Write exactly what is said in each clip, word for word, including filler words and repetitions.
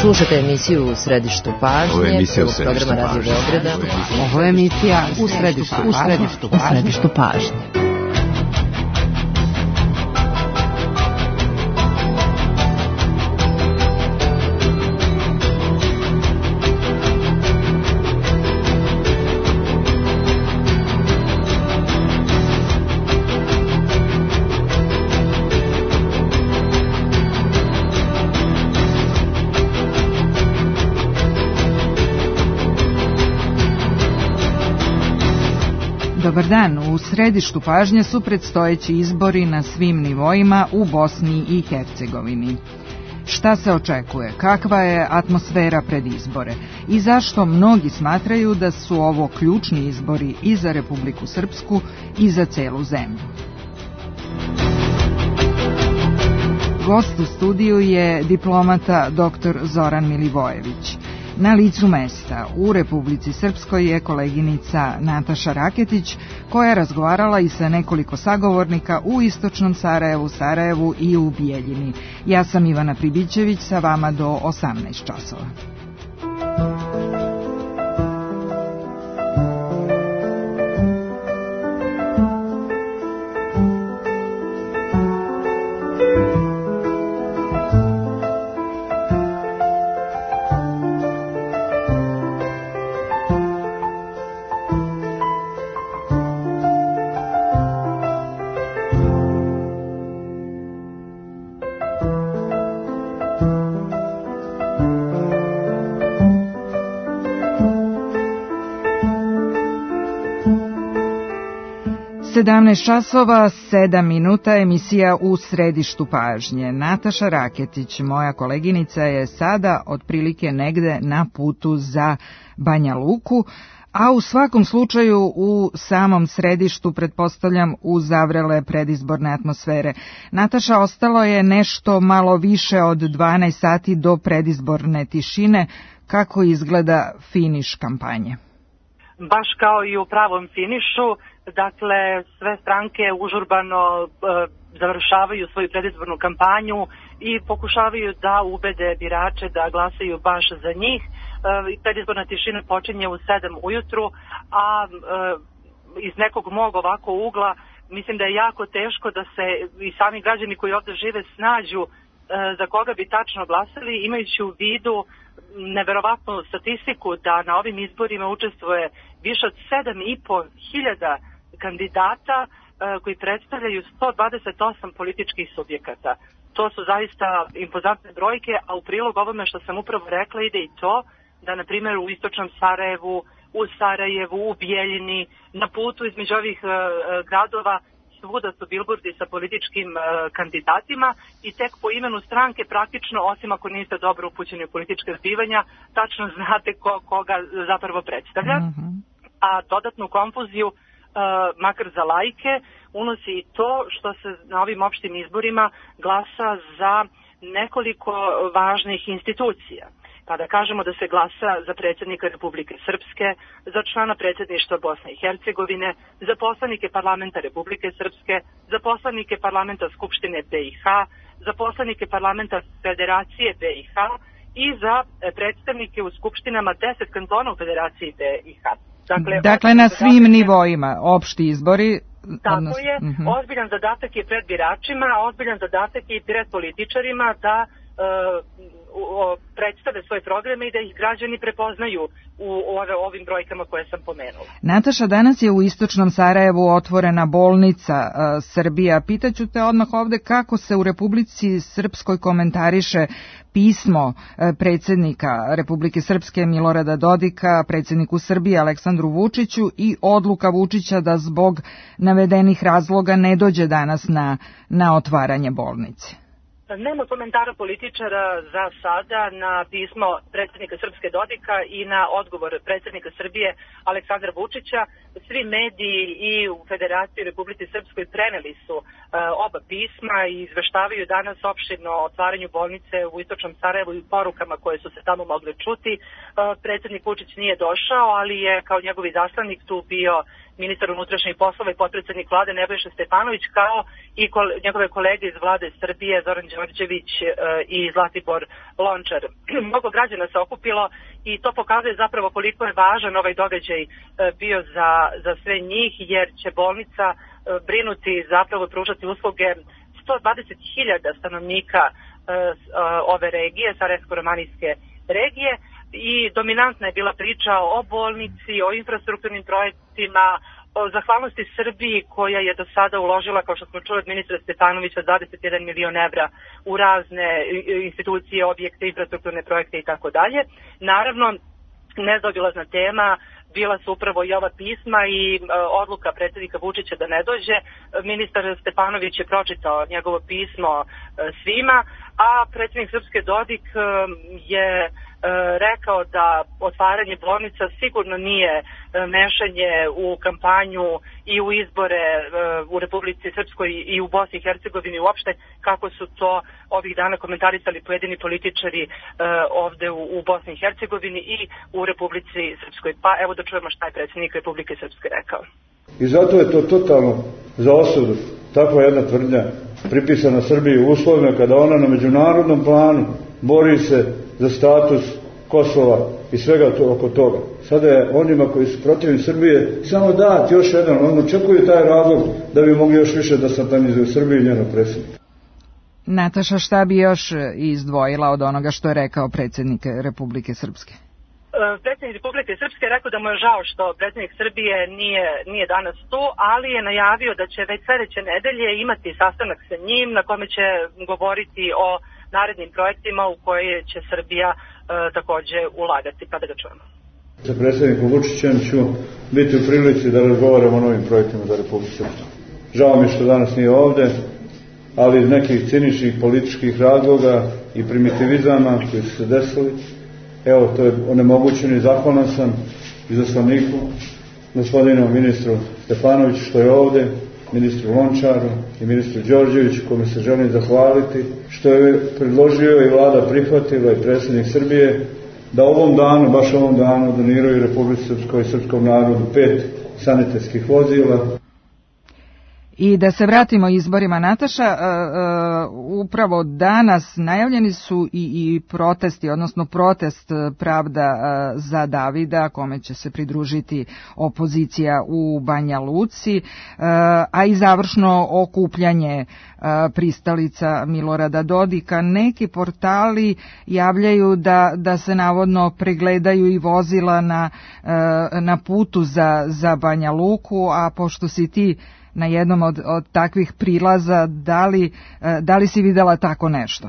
Slušate emisiju U središtu pažnje, prvog programa Radio Beograda. Ovo je emisija U središtu, u središtu, u središtu pažnje. Dobar dan, u središtu pažnje su predstojeći izbori na svim nivoima u Bosni i Hercegovini. Šta se očekuje? Kakva je atmosfera pred izbore? I zašto mnogi smatraju da su ovo ključni izbori i za Republiku Srpsku i za celu zemlju? Gost u studiju je diplomata doktor Zoran Milivojević. Na licu mesta u Republici Srpskoj je koleginica Nataša Raketić, koja je razgovarala i sa nekoliko sagovornika u istočnom Sarajevu, Sarajevu i u Bijeljini. Ja sam Ivana Pribićević, sa vama do osamnaest časova. sedamnaest časova, sedam minuta, emisija U središtu pažnje. Nataša Raketić, moja koleginica, je sada otprilike negde na putu za Banja Luku, a u svakom slučaju u samom središtu, pretpostavljam, u zavrele predizborne atmosfere. Nataša, ostalo je nešto malo više od dvanaest sati do predizborne tišine. Kako izgleda finiš kampanje? Baš kao i u pravom finišu, dakle sve stranke užurbano e, završavaju svoju predizbornu kampanju i pokušavaju da ubede birače da glasaju baš za njih. E, predizborna tišina počinje u sedam ujutru, a e, iz nekog mog ovako ugla mislim da je jako teško da se i sami građani koji ovde žive snađu e, za koga bi tačno glasali, imajući u vidu neverovatnu statistiku da na ovim izborima učestvuje više od sedam i po hiljada kandidata e, koji predstavljaju sto dvadeset osam političkih subjekata. To su zaista impozantne brojke, a u prilog ovome što sam upravo rekla ide i to da, na primjer, u istočnom Sarajevu, u Sarajevu, u Bijeljini, na putu između ovih e, gradova svuda su bilbordi sa političkim e, kandidatima i tek po imenu stranke praktično, osim ako niste dobro upućeni u političke zbivanja, tačno znate ko, koga zapravo predstavlja. Mm-hmm. A dodatnu konfuziju, e, makar za laike, unosi i to što se na ovim opštim izborima glasa za nekoliko važnih institucija. Kada kažemo da se glasa za predsjednika Republike Srpske, za člana predsjedništva Bosne i Hercegovine, za poslanike parlamenta Republike Srpske, za poslanike parlamenta Skupštine B i H, za poslanike parlamenta Federacije B i H i za predstavnike u skupštinama deset kantona u Federaciji B i H. Dakle, dakle na svim nivoima, opšti izbori. Tako odnos... je, uh-huh. Ozbiljan zadatak je pred biračima, ozbiljan zadatak je i pred političarima da uh, predstave svoje programe i da ih građani prepoznaju u ove, ovim brojkama koje sam pomenula. Nataša, danas je u istočnom Sarajevu otvorena bolnica uh, Srbija. Pitaću te odmah ovde kako se u Republici Srpskoj komentariše pismo uh, predsjednika Republike Srpske Milorada Dodika, predsjedniku Srbije Aleksandru Vučiću i odluka Vučića da zbog navedenih razloga ne dođe danas na, na otvaranje bolnice. Nema komentara političara za sada na pismo predsjednika Srpske Dodika i na odgovor predsjednika Srbije Aleksandra Vučića. Svi mediji i u Federaciji Republike Srpskoj preneli su uh, oba pisma i izveštavaju danas opširno o otvaranju bolnice u istočnom Sarajevu i porukama koje su se tamo mogle čuti. Uh, predsjednik Vučić nije došao, ali je kao njegov izaslanik tu bio ministar unutrašnjih poslova i potpredsednik vlade Nebojša Stefanović, kao i njegove kolege iz vlade Srbije Zoran Đorđević i Zlatibor Lončar. Mnogo građana se okupilo i to pokazuje zapravo koliko je važan ovaj događaj bio za, za sve njih, jer će bolnica brinuti, zapravo pružati usluge sto dvadeset hiljada stanovnika ove regije, Sarajevsko-romanijske regije, i dominantna je bila priča o bolnici, o infrastrukturnim projektima, o zahvalnosti Srbiji koja je do sada uložila, kao što smo čuli od ministra Stefanovića, dvadeset jedan milion evra u razne institucije, objekte, infrastrukturne projekte i tako dalje. Naravno, nezaobilazna tema bila su upravo i ova pisma i e, odluka predsjednika Vučića da ne dođe. Ministar Stefanović je pročitao njegovo pismo e, svima, a predsjednik Srpske Dodik e, je e, rekao da otvaranje bolnica sigurno nije e, mešanje u kampanju i u izbore e, u Republici Srpskoj i u Bosni i Hercegovini uopšte, kako su to ovih dana komentarisali pojedini političari e, ovde u, u Bosni i Hercegovini i u Republici Srpskoj. Pa evo da čujemo šta je predsjednik Republike Srpske rekao. I zato je to totalno za osudu, takva jedna tvrdnja pripisana Srbiji u uslovima kada ona na međunarodnom planu bori se za status Kosova i svega to, oko toga. Sada je onima koji su protivni Srbije samo dati još jedan, on očekuju taj razlog da bi mogli još više da satanizuju Srbiju i njeno predsjednika. Nataša, šta bi još izdvojila od onoga što je rekao predsjednik Republike Srpske? Predsjednik Republike Srpske je rekao da mu je žao što predsjednik Srbije nije, nije danas tu, ali je najavio da će već sljedeće nedelje imati sastanak sa njim na kome će govoriti o narednim projektima u koje će Srbija e, takođe ulagati. Pa da ga čujemo. Sa predsjednikom Vučićem ću biti u prilici da razgovaramo o novim projektima za Republiku Srpsku. Žao mi što danas nije ovde, ali iz nekih ciničnih političkih razloga i primitivizama koji su se desili, evo, to je onemogućeno i zahvalan sam izaslaniku, gospodinu ministru Stefanoviću što je ovde, ministru Lončaru i ministru Đorđeviću, kome se želim zahvaliti, što je predložio i vlada prihvatila i predsjednik Srbije, da ovom danu, baš ovom danu, doniraju Republici Srpskoj i srpskom narodu pet sanitetskih vozila. I da se vratimo izborima, Nataša, uh, uh, upravo danas najavljeni su i, i protesti, odnosno protest Pravda uh, za Davida, kome će se pridružiti opozicija u Banja Luci, uh, a i završno okupljanje uh, pristalica Milorada Dodika. Neki portali javljaju da, da se navodno pregledaju i vozila na, uh, na putu za, za Banja Luku, a pošto si ti na jednom od, od takvih prilaza, da li, da li si videla tako nešto?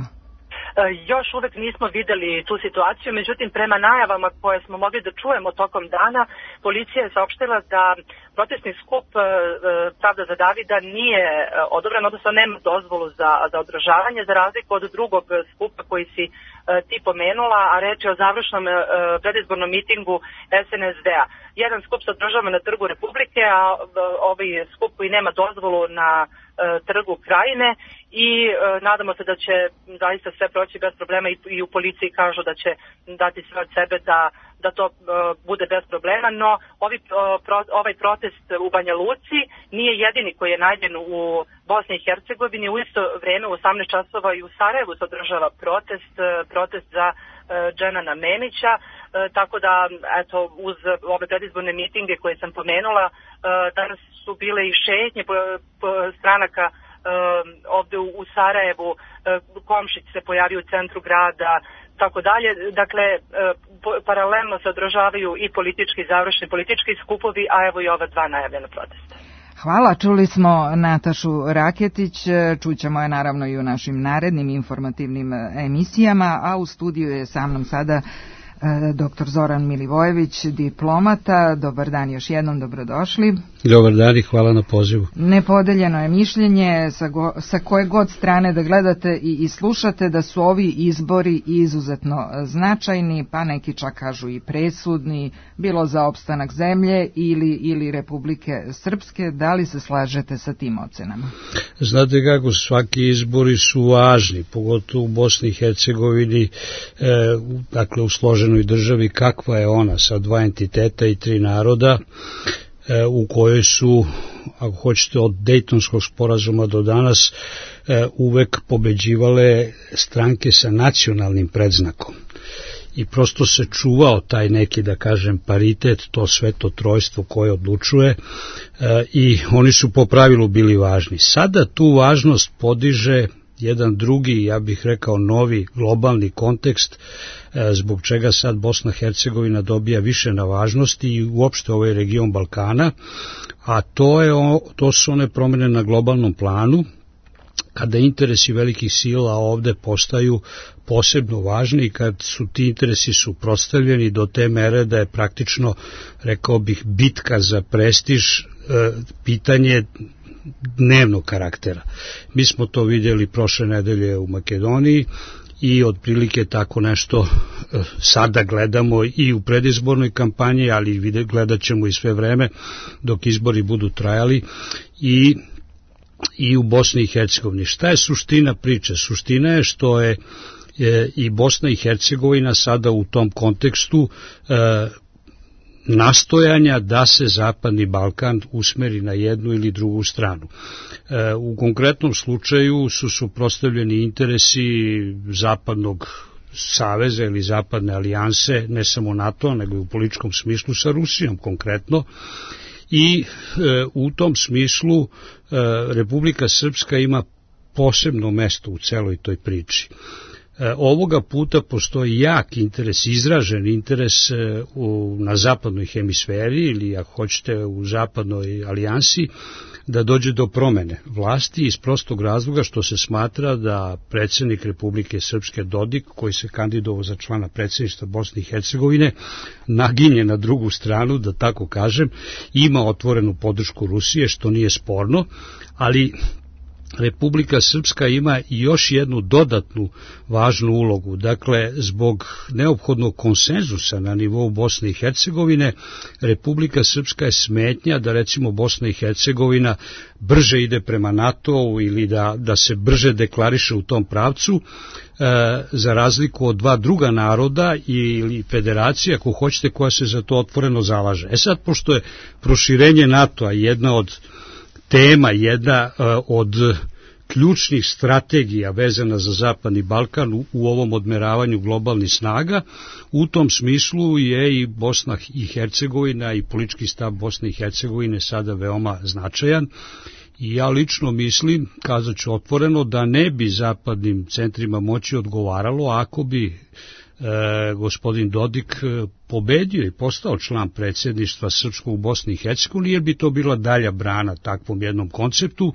Još uvek nismo videli tu situaciju, međutim prema najavama koje smo mogli da čujemo tokom dana, policija je saopštila da protestni skup Pravda za Davida nije odobren, odnosno nema dozvolu za, za održavanje, za razliku od drugog skupa koji si ti pomenula, a reč je o završnom predizbornom mitingu es en es de-a. Jedan skup se održava na Trgu Republike, a ovaj skup koji nema dozvolu na Trgu Krajine, i e, nadamo se da će zaista sve proći bez problema, i, i u policiji kažu da će dati sve od sebe da, da to e, bude bez problema, no ovi, e, pro, ovaj protest u Banja Luci nije jedini koji je najavljen u Bosni i Hercegovini. U isto vreme u osamnaest časova i u Sarajevu se održava protest, e, protest za e, Dženana Memića, e, tako da eto, uz ove predizborne mitinge koje sam pomenula, e, danas su bile i šetnje po, po stranaka ovde u Sarajevu, Komšić se pojavio u centru grada, tako dalje. Dakle, paralelno se održavaju i politički, završni politički skupovi, a evo i ova dva najavljena protesta. Hvala, čuli smo Natašu Raketić, čućemo je naravno i u našim narednim informativnim emisijama, a u studiju je sa mnom sada doktor Zoran Milivojević, diplomata. Dobar dan još jednom, dobrodošli. Dobar dan i hvala na pozivu. Nepodeljeno je mišljenje sa, go, sa koje god strane da gledate i, i slušate da su ovi izbori izuzetno značajni, pa neki čak kažu i presudni, bilo za opstanak zemlje ili, ili Republike Srpske. Da li se slažete sa tim ocenama? Znate kako, svaki izbori su važni, pogotovo u Bosni i Hercegovini, e, dakle u složenoj državi kakva je ona sa dva entiteta i tri naroda. u kojoj su, ako hoćete, od Dejtonskog sporazuma do danas uvek pobeđivale stranke sa nacionalnim predznakom. I prosto se čuvao taj neki, da kažem, paritet, to sveto trojstvo koje odlučuje e, i oni su po pravilu bili važni. Sada tu važnost podiže jedan drugi, ja bih rekao, novi globalni kontekst e, zbog čega sad Bosna i Hercegovina dobija više na važnosti i uopšte ovaj region Balkana, a to, je, to su one promene na globalnom planu, kada interesi velikih sila ovde postaju posebno važni i kad su ti interesi suprotstavljeni do te mere da je praktično, rekao bih, bitka za prestiž e, pitanje dnevnog karaktera. Mi smo to vidjeli prošle nedelje u Makedoniji i otprilike tako nešto e, sada gledamo i u predizbornoj kampanji, ali gledat ćemo i sve vreme dok izbori budu trajali i i u Bosni i Hercegovini. Šta je suština priče? Suština je što je e, i Bosna i Hercegovina sada u tom kontekstu e, nastojanja da se Zapadni Balkan usmeri na jednu ili drugu stranu. E, u konkretnom slučaju su suprotstavljeni interesi Zapadnog saveza ili Zapadne alijanse, ne samo NATO, nego i u političkom smislu sa Rusijom konkretno. I e, u tom smislu e, Republika Srpska ima posebno mesto u celoj toj priči. E, ovoga puta postoji jak interes, izražen interes e, u, na zapadnoj hemisferi ili ako hoćete u Zapadnoj alijansi da dođe do promene vlasti iz prostog razloga što se smatra da predsjednik Republike Srpske Dodik, koji se kandidovao za člana predsjedništva Bosne i Hercegovine, naginje na drugu stranu, da tako kažem, ima otvorenu podršku Rusije, što nije sporno, ali Republika Srpska ima i još jednu dodatnu važnu ulogu. Dakle, zbog neophodnog konsenzusa na nivou Bosne i Hercegovine, Republika Srpska je smetnja da recimo Bosna i Hercegovina brže ide prema NATO-u ili da, da se brže deklariše u tom pravcu, e, za razliku od dva druga naroda ili federacija, ako hoćete, koja se za to otvoreno zalaže. E sad, pošto je proširenje NATO-a jedna od tema, jedna uh, od ključnih strategija vezana za Zapadni Balkan u, u ovom odmeravanju globalnih snaga, u tom smislu je i Bosna i Hercegovina i politički stav Bosne i Hercegovine sada veoma značajan i ja lično mislim, kazat ću otvoreno, da ne bi zapadnim centrima moći odgovaralo ako bi E, gospodin Dodik pobedio i postao član predsjedništva srpskog u Bosni i Hercegovini, jer bi to bila dalja brana takvom jednom konceptu.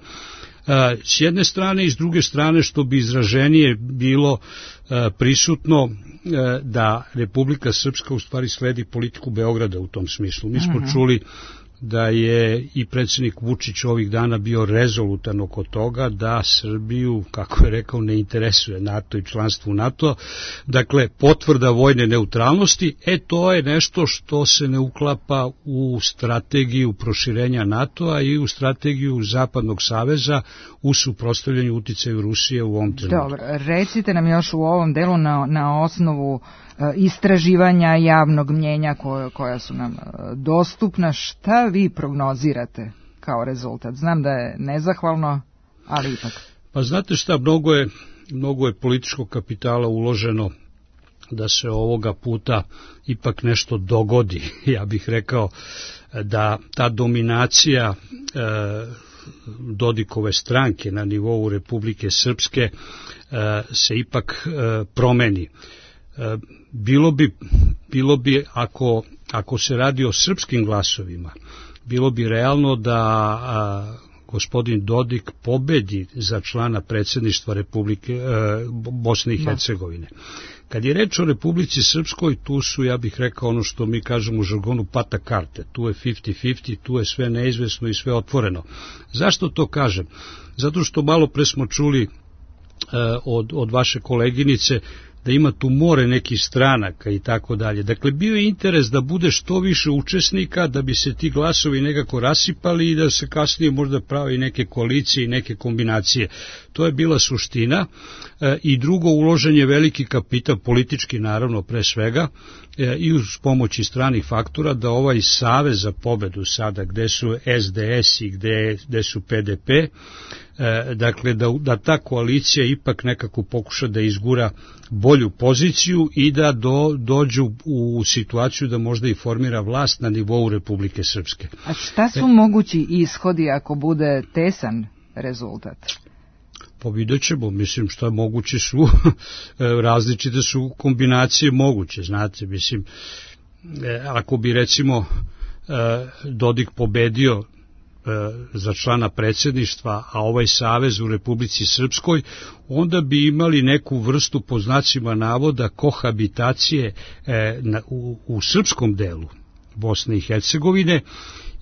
E, s jedne strane i s druge strane, što bi izraženije bilo e, prisutno e, da Republika Srpska u stvari sledi politiku Beograda u tom smislu. Mi smo uh-huh. čuli da je i predsjednik Vučić ovih dana bio rezolutan oko toga da Srbiju, kako je rekao, ne interesuje NATO i članstvo u NATO. Dakle, potvrda vojne neutralnosti, e to je nešto što se ne uklapa u strategiju proširenja NATO-a i u strategiju Zapadnog saveza u suprotstavljanju uticaju Rusije u ovom trenutku. Dobro, recite nam još u ovom delu na, na osnovu istraživanja javnog mnjenja koja, koja su nam dostupna, šta vi prognozirate kao rezultat? Znam da je nezahvalno, ali ipak. Pa znate šta, mnogo je, mnogo je političkog kapitala uloženo da se ovoga puta ipak nešto dogodi. Ja bih rekao da ta dominacija e, Dodikove stranke na nivou Republike Srpske e, se ipak e, promeni. Bilo bi, bilo bi ako, ako se radi o srpskim glasovima, bilo bi realno da a, gospodin Dodik pobedi za člana predsjedništva Republike e, Bosne i Hercegovine. Kad je reč o Republici Srpskoj, tu su, ja bih rekao, ono što mi kažemo u žargonu, pata karte. Tu je pedeset pedeset, tu je sve neizvesno i sve otvoreno. Zašto to kažem? Zato što malo pre smo čuli Od, od vaše koleginice da ima tu more nekih stranaka i tako dalje. Dakle, bio je interes da bude što više učesnika, da bi se ti glasovi nekako rasipali i da se kasnije možda pravi neke koalicije i neke kombinacije. To je bila suština. E, i drugo, uložen je veliki kapital, politički naravno pre svega, e, i uz pomoći stranih faktora, da ovaj Savez za pobedu sada, gde su S D S i gde, gde su P D P, e, dakle da, da ta koalicija ipak nekako pokuša da izgura bolju poziciju i da do, dođu u situaciju da možda i formira vlast na nivou Republike Srpske. A šta su e, mogući ishodi ako bude tesan rezultat? Pa vidjet ćemo, mislim, što je moguće su, različite su kombinacije moguće, znate, mislim, ako bi recimo Dodik pobedio za člana predsjedništva, a ovaj savez u Republici Srpskoj, onda bi imali neku vrstu, po znacima navoda, kohabitacije u, u srpskom delu Bosne i Hercegovine,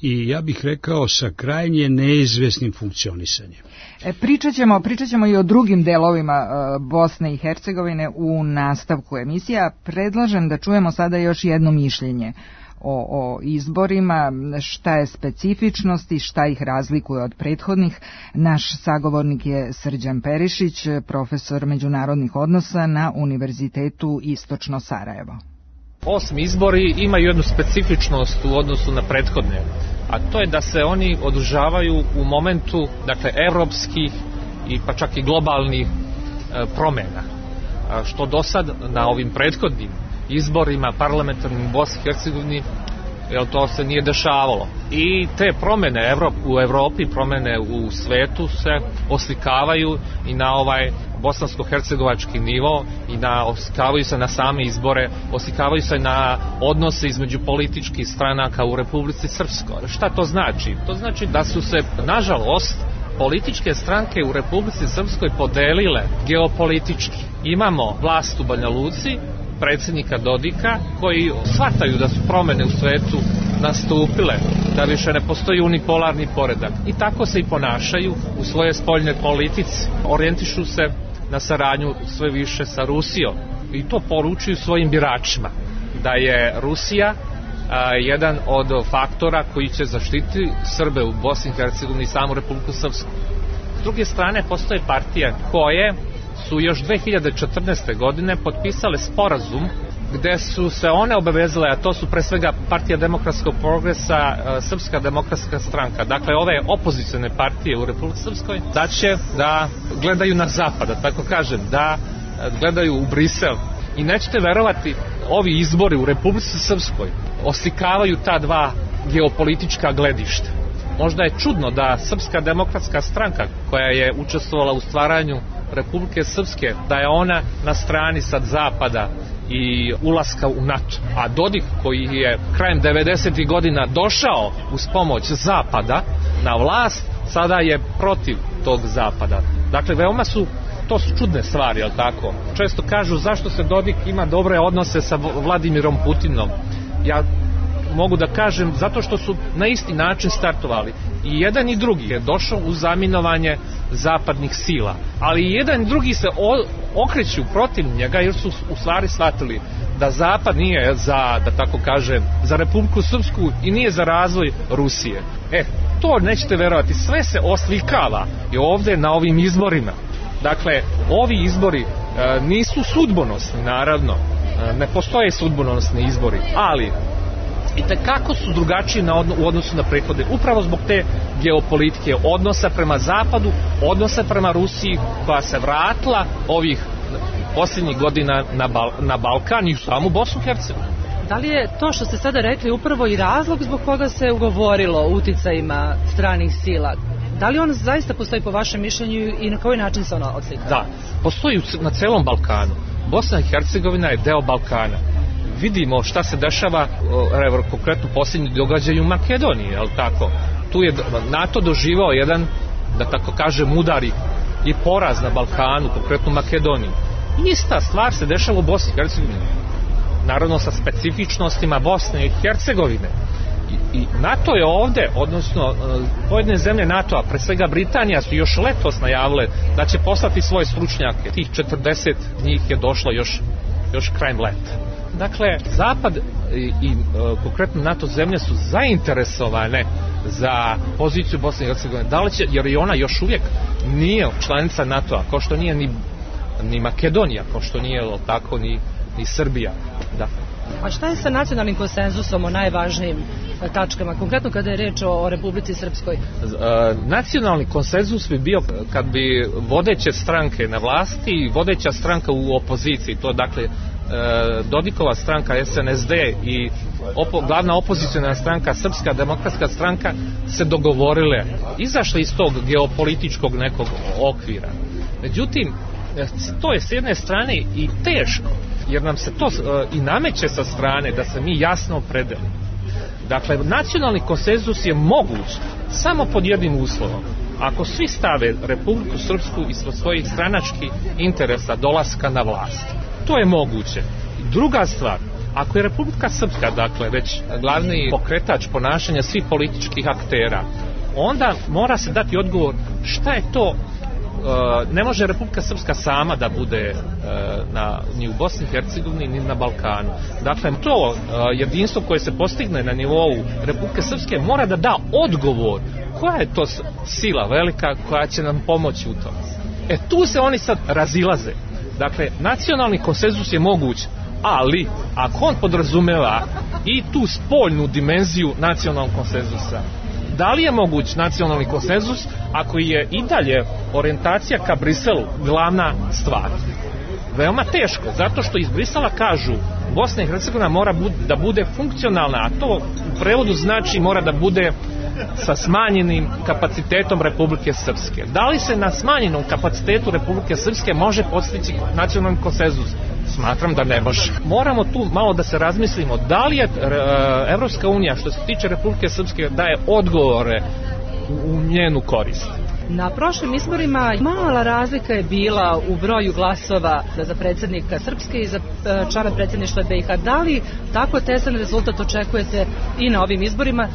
i ja bih rekao sa krajnje neizvesnim funkcionisanjem. E, pričat ćemo, pričat ćemo i o drugim delovima e, Bosne i Hercegovine u nastavku emisija. Predlažem da čujemo sada još jedno mišljenje o, o izborima, šta je specifičnost i šta ih razlikuje od prethodnih. Naš sagovornik je Srđan Perišić, profesor međunarodnih odnosa na Univerzitetu Istočno Sarajevo. Osmi izbori imaju jednu specifičnost u odnosu na prethodne, a to je da se oni održavaju u momentu, dakle, evropskih i pa čak i globalnih e, promjena, a što do sad na ovim prethodnim izborima parlamentarnim u Bosni i Hercegovini, jel, to se nije dešavalo. I te promjene u Evropi, promjene u svetu se oslikavaju i na ovaj bosansko-hercegovački nivo i na, oslikavaju se na same izbore, oslikavaju se na odnose između političkih stranaka u Republici Srpskoj. Šta to znači? To znači da su se, nažalost, političke stranke u Republici Srpskoj podelile geopolitički. Imamo vlast u Banja Luci, predsjednika Dodika, koji shvataju da su promjene u svetu nastupile, da više ne postoji unipolarni poredak. I tako se i ponašaju u svojoj spoljnoj politici. Orijentišu se na saradnju sve više sa Rusijom. I to poručuju svojim biračima. Da je Rusija a, jedan od faktora koji će zaštiti Srbe u Bosni i Hercegovini i samu Republiku Srpsku. S druge strane, postoje partije koje su još dve hiljade četrnaeste. godine potpisale sporazum gde su se one obavezale, a to su pre svega Partija demokratskog progresa, Srpska demokratska stranka, dakle ove opozicione partije u Republici Srpskoj, da će da gledaju na zapad, da tako kažem, da gledaju u Brisel. I nećete verovati, ovi izbori u Republici Srpskoj oslikavaju ta dva geopolitička gledišta. Možda je čudno da Srpska demokratska stranka, koja je učestvovala u stvaranju Republike Srpske, da je ona na strani sad zapada i ulaska u NATO. A Dodik, koji je krajem devedesetih godina došao uz pomoć zapada na vlast, sada je protiv tog zapada. Dakle, veoma su, to su čudne stvari, jel tako? Često kažu zašto se Dodik ima dobre odnose sa Vladimirom Putinom. Ja mogu da kažem zato što su na isti način startovali. I jedan i drugi je došao u zaminovanje zapadnih sila. Ali i jedan i drugi se okreću protiv njega jer su u stvari shvatili da zapad nije za, da tako kažem, za Republiku Srpsku i nije za razvoj Rusije. E, to nećete verovati, sve se oslikava i ovdje na ovim izborima. Dakle, ovi izbori e, nisu sudbonosni, naravno. E, ne postoje sudbonosni izbori, ali i tekako su drugačiji na odno, u odnosu na prethodne, upravo zbog te geopolitike, odnosa prema zapadu, odnosa prema Rusiji, koja se vratila ovih posljednjih godina na, Bal, na Balkan i u samu Bosnu i Hercegovinu. Da li je to što ste sada rekli upravo i razlog zbog koga se ugovorilo o uticajima stranih sila? Da li on zaista postoji po vašem mišljenju i na koji način se ono odslika? Da, postoji na celom Balkanu. Bosna i Hercegovina je deo Balkana. Vidimo šta se dešava, evo, konkretno posljednji događaj u Makedoniji, je li tako? Tu je NATO doživao jedan, da tako kažem, udar i poraz na Balkanu, konkretno u Makedoniji. Ista stvar se dešava u Bosni i Hercegovini. Naravno sa specifičnostima Bosne i Hercegovine. I, i NATO je ovde, odnosno pojedine zemlje NATO-a, pre svega Britanija, su još letos najavile da će poslati svoje stručnjake. Tih četrdeset njih je došlo još, još krajem leta. Dakle, Zapad i, i konkretno NATO zemlje su zainteresovane za poziciju Bosne i Hercegovine. Da li će, jer i ona još uvijek nije članica NATO-a, kao što nije ni, ni Makedonija, kao što nije tako ni, ni Srbija. Da. A šta je sa nacionalnim konsenzusom o najvažnijim tačkama, konkretno kada je reč o Republici Srpskoj? E, nacionalni konsenzus bi bio kad bi vodeće stranke na vlasti i vodeća stranka u opoziciji, to dakle e, Dodikova stranka S N S D i opo, glavna opozicijna stranka Srpska demokratska stranka se dogovorile, izašle iz tog geopolitičkog nekog okvira. Međutim, to je s jedne strane i teško, jer nam se to uh, i nameće sa strane da se mi jasno opredelimo. Dakle, nacionalni konsenzus je moguć samo pod jednim uslovom. Ako svi stave Republiku Srpsku ispod svojih stranačkih interesa dolaska na vlast. To je moguće. Druga stvar, ako je Republika Srpska, dakle, već glavni pokretač ponašanja svih političkih aktera, onda mora se dati odgovor šta je to. Ne može Republika Srpska sama da bude na, ni u Bosni i Hercegovini ni na Balkanu. Dakle, to jedinstvo koje se postigne na nivou Republike Srpske mora da da odgovor koja je to sila velika koja će nam pomoći u tom. E tu se oni sad razilaze. Dakle, nacionalni konsenzus je moguć, ali ako on podrazumeva i tu spoljnu dimenziju nacionalnog konsenzusa, da li je moguć nacionalni konsenzus ako je i dalje orijentacija ka Briselu glavna stvar? Veoma teško, zato što iz Brisela kažu Bosna i Hercegovina mora da bude funkcionalna, a to u prevodu znači mora da bude sa smanjenim kapacitetom Republike Srpske. Da li se na smanjenom kapacitetu Republike Srpske može postići nacionalni konsenzus? Smatram da ne može. Moramo tu malo da se razmislimo da li je Evropska unija što se tiče Republike Srpske daje odgovore u njenu korist. Na prošlim izborima mala razlika je bila u broju glasova za predsjednika Srpske i za člana predsjedništva B i H. Da li tako tesan rezultat očekujete i na ovim izborima? E,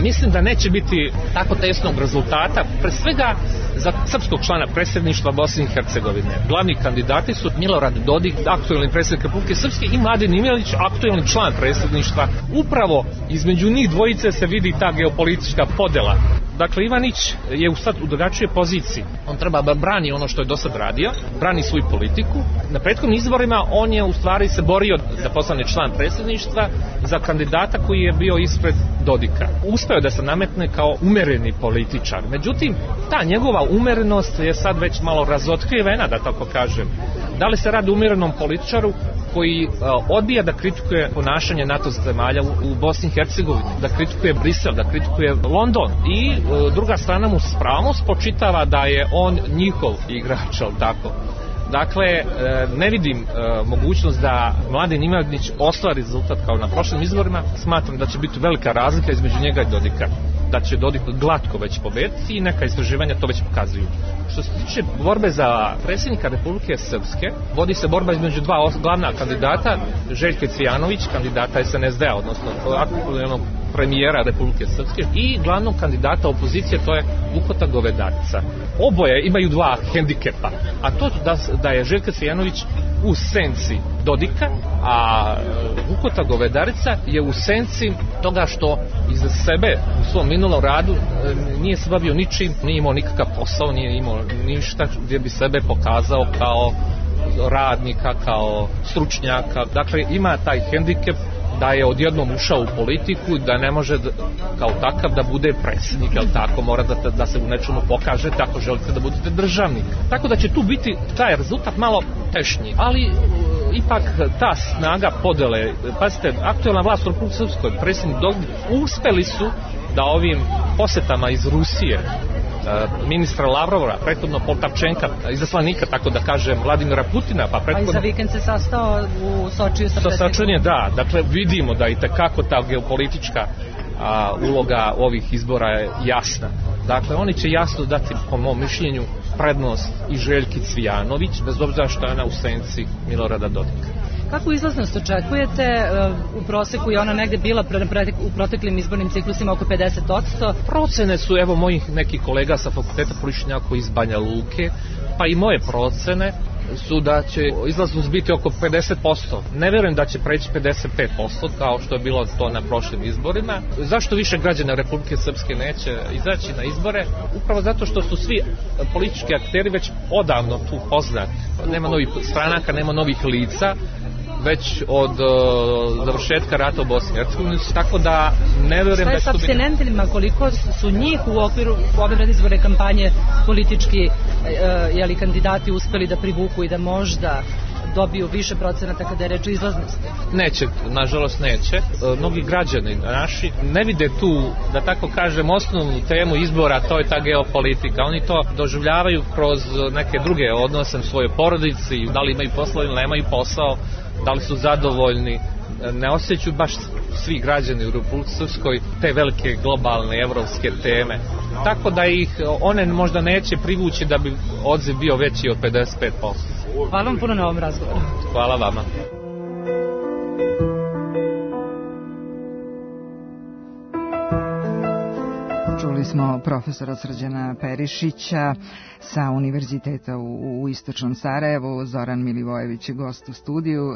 mislim da neće biti tako tesnog rezultata, pre svega za srpskog člana predsjedništva Bosne i Hercegovine. Glavni kandidati su Milorad Dodik, aktuelni predsjednik Republike Srpske, i Mladen Imelić, aktuelni član predsjedništva. Upravo između njih dvojice se vidi ta geopolitička podela. Dakle, Ivanić je u sad u drugačijoj poziciji. On treba da brani ono što je do sad radio, brani svoju politiku. Na prethodnim izborima on je u stvari se borio da postane član predsjedništva za kandidata koji je bio ispred Dodika. Uspeo da se nametne kao umereni političar. Međutim, ta njegova umerenost je sad već malo razotkrivena, da tako kažem. Da li se radi o umerenom političaru koji uh, odbija da kritikuje ponašanje NATO zemalja u, u Bosni i Hercegovini, da kritikuje Brisel, da kritikuje London, i uh, druga strana mu s pravom spočitava da je on njihov igrač, ali tako. Dakle, uh, ne vidim uh, mogućnost da Mladen Imelić ostvari rezultat kao na prošlim izborima. Smatram da će biti velika razlika između njega i Dodika, da će Dodik glatko već pobediti i neka istraživanja to već pokazuju. Što se tiče borbe za predsjednika Republike Srpske, vodi se borba između dva glavna kandidata, Željke Cvijanović, kandidata S N S D-a, odnosno aktualnog premijera Republike Srpske, i glavnog kandidata opozicije, to je Vukota Govedarica. Oboje imaju dva hendikepa, a to da, da je Željka Cvijanović u senci Dodika, a Vukota Govedarica je u senci toga što iza sebe u svom minulom radu nije se bavio ničim, nije imao nikakav posao, nije imao ništa gdje bi sebe pokazao kao radnika, kao stručnjaka. Dakle, ima taj hendikep da je odjednom ušao u politiku, da ne može da, kao takav da bude predsjednik, ali tako mora da, da se u nečemu pokažete ako želite da budete državnik. Tako da će tu biti taj rezultat malo tešnji, ali uh, ipak ta snaga podele, pazite, aktuelna vlast u Republike Srpskoj, predsjednik Dodik, uspeli su da ovim posetama iz Rusije, ministra Lavrova, prethodno Poltavčenka, izaslanika, tako da kažem, Vladimira Putina, pa prethodno... A i za vikend se sastao u Sočiju sa predsjednikom. Sočije, da, dakle vidimo da i tekako ta geopolitička a, uloga ovih izbora je jasna. Dakle, oni će jasno dati, po mom mišljenju, prednost i Željki Cvijanović, bez obzira što je ona u senci Milorada Dodika. Kakvu izlaznost očekujete? U proseku je ona negde bila u proteklim izbornim ciklusima oko pedeset posto. Procene su, evo, mojih nekih kolega sa fakulteta političkih nauka iz Banja Luke, pa i moje procene su da će izlaznost biti oko pedeset posto. Ne verujem da će preći pedeset pet posto kao što je bilo to na prošlim izborima. Zašto više građana Republike Srpske neće izaći na izbore? Upravo zato što su svi politički akteri već odavno tu poznati. Nema novih stranaka, nema novih lica, već od uh, završetka rata u Bosni i Hercegovini, tako da ne verujem da će to biti... Šta je s apstinentima, koliko su njih u okviru ove predizborne kampanje politički uh, jeli, kandidati uspeli da privuku i da možda dobiju više procenata kada je reč o izlaznosti? Neće, nažalost neće. E, mnogi građani naši ne vide tu, da tako kažem, osnovnu temu izbora, to je ta geopolitika. Oni to doživljavaju kroz neke druge odnose u svojoj porodici, da li imaju posao ili nemaju posao, da li su zadovoljni. Ne osjećaju baš svi građani u Republici Srpskoj te velike globalne evropske teme. Tako da ih one možda neće privući da bi odziv bio veći od pedeset pet posto. Hvala vam puno na ovom razgovoru. Hvala vama. Čuli smo profesora Srđana Perišića sa Univerziteta u, u Istočnom Sarajevu. Zoran Milivojević je gost u studiju.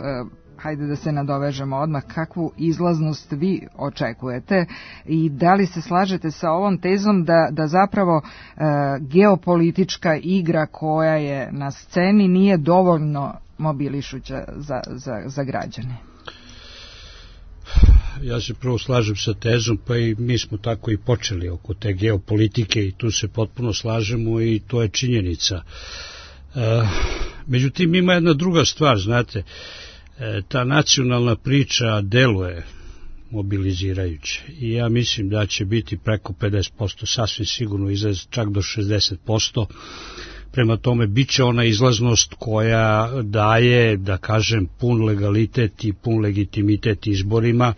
Hajde da se nadovežemo odmah. Kakvu izlaznost vi očekujete i da li se slažete sa ovom tezom da, da zapravo e, geopolitička igra koja je na sceni nije dovoljno mobilišuća za, za, za građane? Ja se prvo slažem sa tezom, pa i mi smo tako i počeli oko te geopolitike i tu se potpuno slažemo i to je činjenica. E, međutim, ima jedna druga stvar, znate, e, ta nacionalna priča deluje mobilizirajuće i ja mislim da će biti preko pedeset posto, sasvim sigurno izlaz čak do šezdeset posto. Prema tome, bit će ona izlaznost koja daje, da kažem, pun legalitet i pun legitimitet izborima,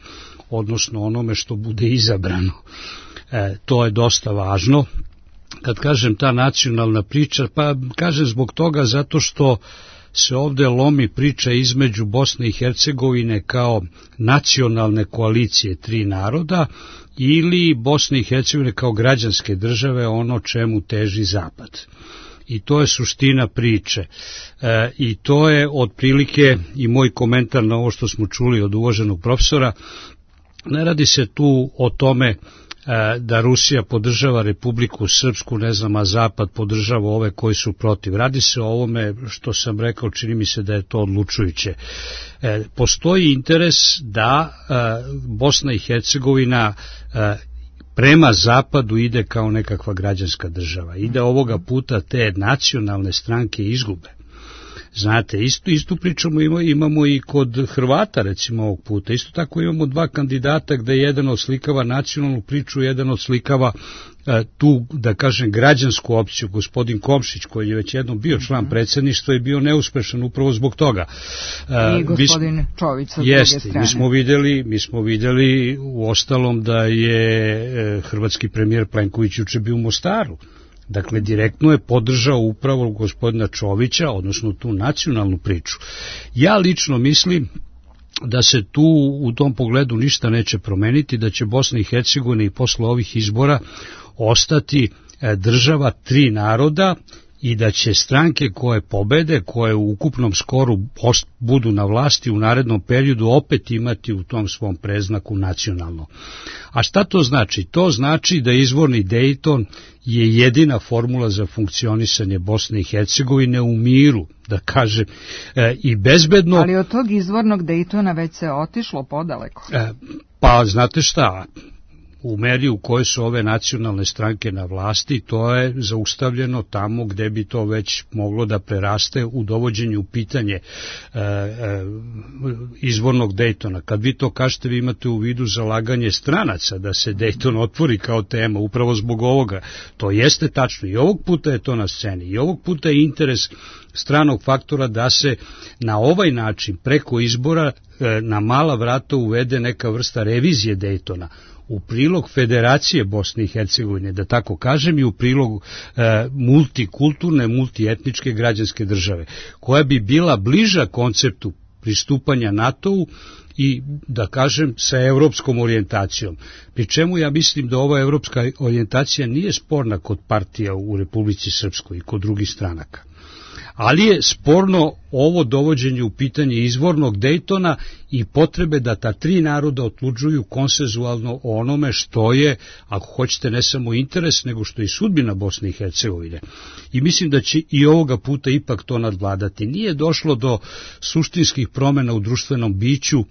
odnosno onome što bude izabrano. E, to je dosta važno. Kad kažem ta nacionalna priča, pa kažem zbog toga zato što se ovde lomi priča između Bosne i Hercegovine kao nacionalne koalicije tri naroda ili Bosne i Hercegovine kao građanske države, ono čemu teži Zapad. I to je suština priče. E, I to je otprilike i moj komentar na ovo što smo čuli od uvaženog profesora. Ne radi se tu o tome e, da Rusija podržava Republiku Srpsku, ne znam, a Zapad podržava ove koji su protiv. Radi se o ovome što sam rekao, čini mi se da je to odlučujuće. E, postoji interes da e, Bosna i Hercegovina e, prema Zapadu ide kao nekakva građanska država i da ovoga puta te nacionalne stranke izgube. Znate, istu, istu pričamo imamo, imamo i kod Hrvata, recimo, ovog puta. Isto tako imamo dva kandidata gde jedan odslikava nacionalnu priču, jedan odslikava e, tu, da kažem, građansku opciju. Gospodin Komšić, koji je već jednom bio član predsjedništva, je bio neuspešan upravo zbog toga. E, I gospodin mi, Čović sa jeste, druge strane. Mi smo videli, mi smo videli u ostalom da je e, hrvatski premijer Plenković juče bio u Mostaru. Dakle, direktno je podržao upravo gospodina Čovića, odnosno tu nacionalnu priču. Ja lično mislim da se tu u tom pogledu ništa neće promeniti, da će Bosna i Hercegovina i posle ovih izbora ostati država tri naroda i da će stranke koje pobede, koje u ukupnom skoru budu na vlasti u narednom periodu opet imati u tom svom preznaku nacionalno. A šta to znači? To znači da izvorni Dejton je jedina formula za funkcionisanje Bosne i Hercegovine u miru, da kažem, e, i bezbedno. Ali od tog izvornog Dejtona već se otišlo podaleko. E, pa znate šta, u meri u kojoj su ove nacionalne stranke na vlasti, to je zaustavljeno tamo gde bi to već moglo da preraste u dovođenju u pitanje e, e, izvornog Dejtona. Kad vi to kažete, vi imate u vidu zalaganje stranaca da se Dejton otvori kao tema, upravo zbog ovoga. To jeste tačno i ovog puta je to na sceni i ovog puta je interes stranog faktora da se na ovaj način preko izbora e, na mala vrata uvede neka vrsta revizije Dejtona u prilog Federacije Bosne i Hercegovine, da tako kažem, i u prilog e, multikulturne, multietničke građanske države, koja bi bila bliža konceptu pristupanja NATO-u i, da kažem, sa evropskom orijentacijom. Pri čemu ja mislim da ova evropska orijentacija nije sporna kod partija u Republici Srpskoj i kod drugih stranaka. Ali je sporno ovo dovođenje u pitanje izvornog Dejtona i potrebe da ta tri naroda odlučuju konsenzualno o onome što je, ako hoćete, ne samo interes, nego što je i sudbina Bosne i Hercegovine. I mislim da će i ovoga puta ipak to nadvladati. Nije došlo do suštinskih promjena u društvenom biću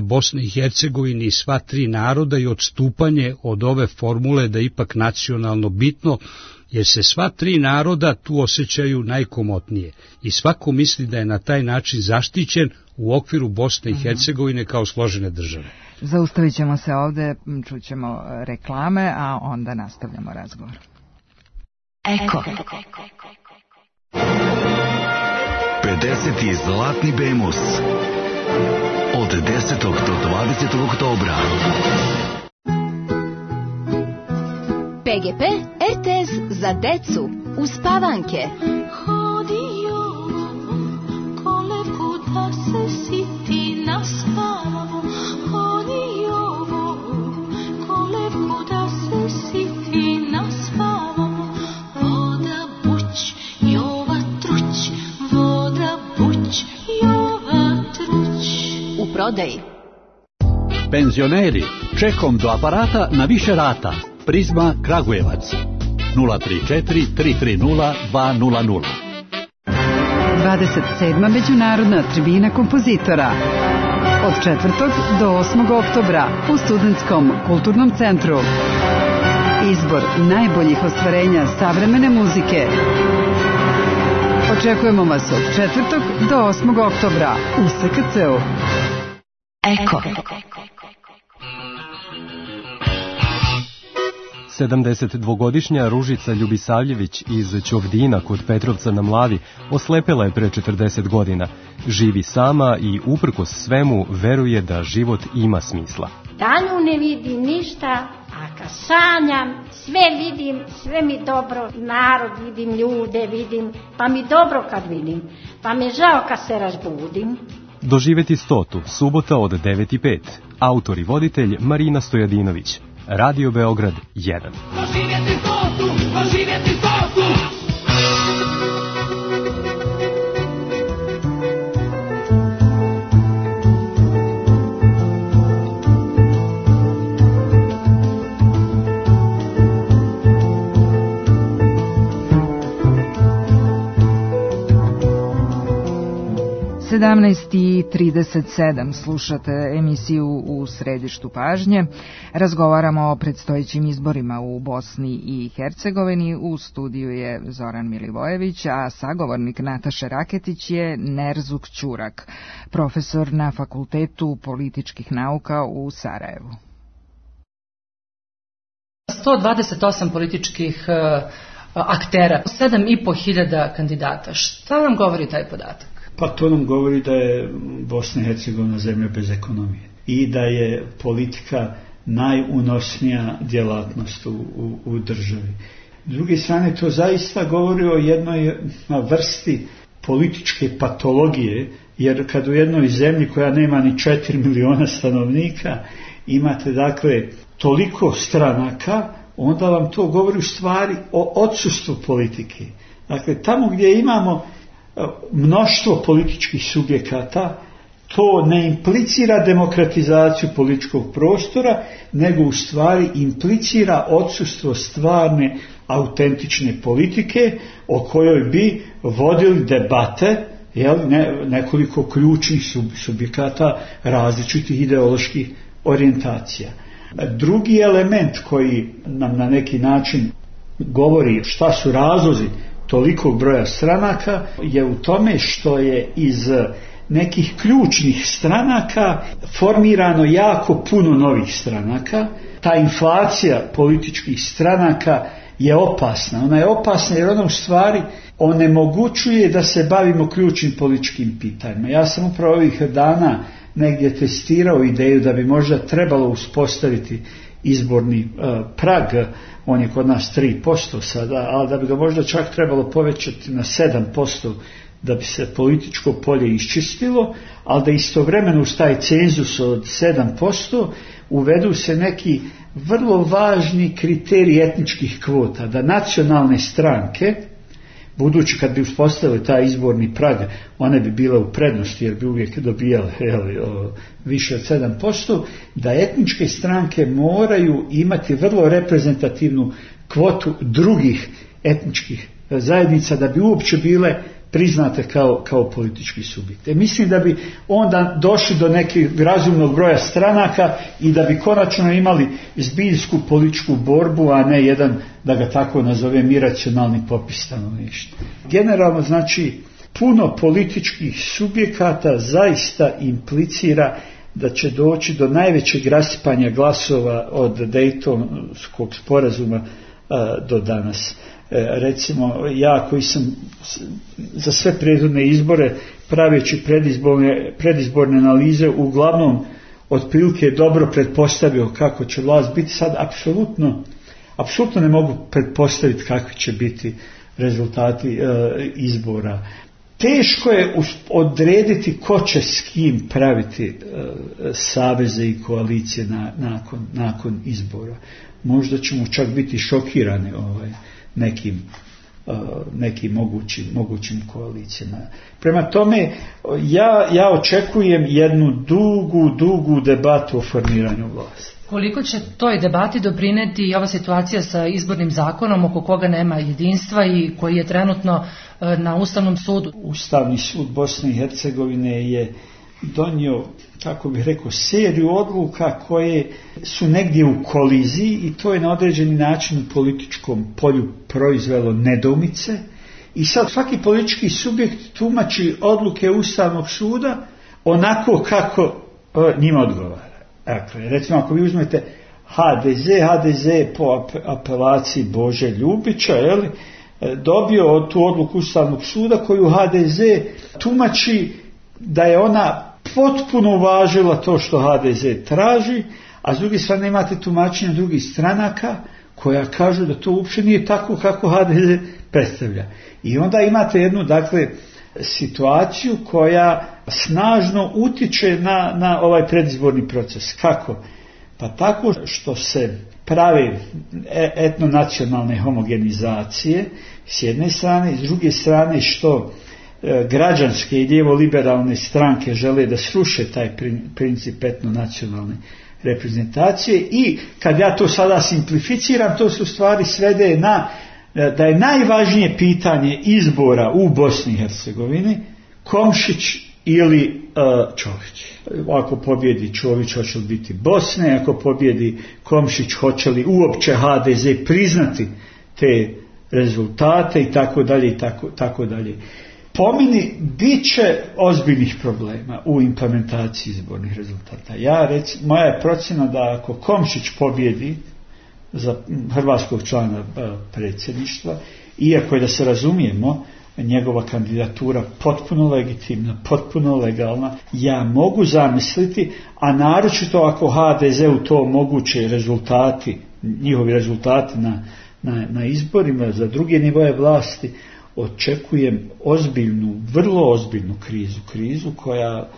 Bosne i Hercegovine i sva tri naroda i odstupanje od ove formule da ipak nacionalno bitno, jer se sva tri naroda tu osjećaju najkomotnije i svako misli da je na taj način zaštićen u okviru Bosne i Hercegovine kao složene države. Zaustavit ćemo se ovde, čućemo reklame, a onda nastavljamo razgovor. Eko. pedeseti zlatni Bemus od desetog do dvadesetog oktobra. P G P R T S za decu uspavanke. Hodio kolevku da se siti naspavamo. Hodio kolevku da se siti naspavamo. Voda buć, jova truć, voda buć, jova truć. U prodaji. Penzioneri, čekom do aparata na više rata. Prizma Kragujevac nula tri četiri tri tri nula dva nula nula. dvadeset sedma Međunarodna tribina kompozitora od četvrtog do osmog oktobra u Studentskom kulturnom centru. Izbor najboljih ostvarenja savremene muzike. Očekujemo vas od četvrtog do osmog oktobra u S K C-u. Eko. sedamdesetdvogodišnja Ružica Ljubisavljević iz Ćovdina kod Petrovca na Mlavi oslepela je pre četrdeset godina. Živi sama i uprkos svemu veruje da život ima smisla. Danju ne vidim ništa, a kad sanjam sve vidim, sve mi dobro, narod vidim, ljude vidim, pa mi dobro kad vidim, pa mi žao kad se razbudim. Doživeti stotu, subota od devet i pet. Autor i voditelj Marina Stojadinović. Radio Beograd jedan. Doživjeti stotu, doživjeti stotu. sedamnaest i trideset sedam slušate emisiju U središtu pažnje. Razgovaramo o predstojećim izborima u Bosni i Hercegovini. U studiju je Zoran Milivojević, a sagovornik Nataše Raketić je Nerzuk Ćurak, profesor na Fakultetu političkih nauka u Sarajevu. sto dvadeset osam političkih uh, aktera, sedam i po hiljada kandidata. Šta nam govori taj podatak? Pa to nam govori da je Bosna i Hercegovina zemlja bez ekonomije i da je politika najunosnija djelatnost u, u, u državi. S druge strane, to zaista govori o jednoj vrsti političke patologije, jer kad u jednoj zemlji koja nema ni četiri miliona stanovnika imate dakle toliko stranaka, onda vam to govori u stvari o odsustvu politike. Dakle, tamo gdje imamo mnoštvo političkih subjekata, to ne implicira demokratizaciju političkog prostora, nego u stvari implicira odsustvo stvarne, autentične politike o kojoj bi vodili debate, jel, ne, nekoliko ključnih sub, subjekata različitih ideoloških orijentacija. Drugi element koji nam na neki način govori šta su razlozi tolikog broja stranaka je u tome što je iz nekih ključnih stranaka formirano jako puno novih stranaka. Ta inflacija političkih stranaka je opasna. Ona je opasna jer ona u stvari onemogućuje da se bavimo ključnim političkim pitanjima. Ja sam upravo ovih dana negdje testirao ideju da bi možda trebalo uspostaviti izborni uh, prag, on je kod nas tri posto sada, ali da bi ga možda čak trebalo povećati na sedam posto da bi se političko polje iščistilo, ali da istovremeno uz taj cenzus od sedam posto uvedu se neki vrlo važni kriteriji etničkih kvota, da nacionalne stranke, budući kad bi uspostavili taj izborni prag, one bi bile u prednosti jer bi uvijek dobijale jeli, o, više od sedam posto, da etničke stranke moraju imati vrlo reprezentativnu kvotu drugih etničkih zajednica da bi uopće bile priznate kao, kao politički subjekte. Mislim da bi onda došli do nekih razumnog broja stranaka i da bi konačno imali zbiljsku političku borbu, a ne jedan, da ga tako nazovem, iracionalni popis stanovništva. Generalno, znači, puno političkih subjekata zaista implicira da će doći do najvećeg rasipanja glasova od Dejtonskog sporazuma a, do danas. Recimo, ja koji sam za sve prethodne izbore praveći predizborne, predizborne analize uglavnom otprilike dobro pretpostavio kako će vlast biti, sad apsolutno, apsolutno ne mogu pretpostaviti kakvi će biti rezultati e, izbora. Teško je odrediti ko će s kim praviti e, saveze i koalicije na, nakon, nakon izbora. Možda ćemo čak biti šokirani ovaj, nekim, uh, nekim mogućim, mogućim koalicijama. Prema tome, ja, ja očekujem jednu dugu, dugu debatu o formiranju vlasti. Koliko će toj debati doprineti i ova situacija sa izbornim zakonom oko koga nema jedinstva i koji je trenutno uh, na Ustavnom sudu? Ustavni sud Bosne i Hercegovine je donio, kako bih rekao, seriju odluka koje su negdje u koliziji i to je na određeni način u političkom polju proizvelo nedoumice i sad svaki politički subjekt tumači odluke Ustavnog suda onako kako e, njima odgovara. Dakle, recimo ako vi uzmete ha de ze, ha de ze je po apelaciji Bože Ljubića, jeli, dobio tu odluku Ustavnog suda koju ha de ze tumači da je ona potpuno uvažila to što ha de ze traži, a s druge strane imate tumačenja drugih stranaka koja kažu da to uopće nije tako kako ha de ze predstavlja. I onda imate jednu, dakle, situaciju koja snažno utiče na, na ovaj predizborni proces. Kako? Pa tako što se prave etnonacionalne homogenizacije s jedne strane i s druge strane što građanske i lijevo-liberalne stranke žele da sruše taj princip etnonacionalne reprezentacije i kad ja to sada simplificiram, to se u stvari svede na da je najvažnije pitanje izbora u Bosni i Hercegovini Komšić ili uh, Čović. Ako pobjedi Čović, hoće li biti Bosne, ako pobjedi Komšić, hoće li uopće ha de ze priznati te rezultate i tako dalje i tako, tako dalje. Po meni bit će ozbiljnih problema u implementaciji izbornih rezultata. Ja rec, moja je procjena da ako Komšić pobjedi za hrvatskog člana predsjedništva, iako je, da se razumijemo, njegova kandidatura potpuno legitimna, potpuno legalna, ja mogu zamisliti, a naročito ako ha de ze u to omoguće rezultati, njihovi rezultati na, na, na izborima za druge nivoje vlasti, očekujem ozbiljnu, vrlo ozbiljnu krizu, krizu koja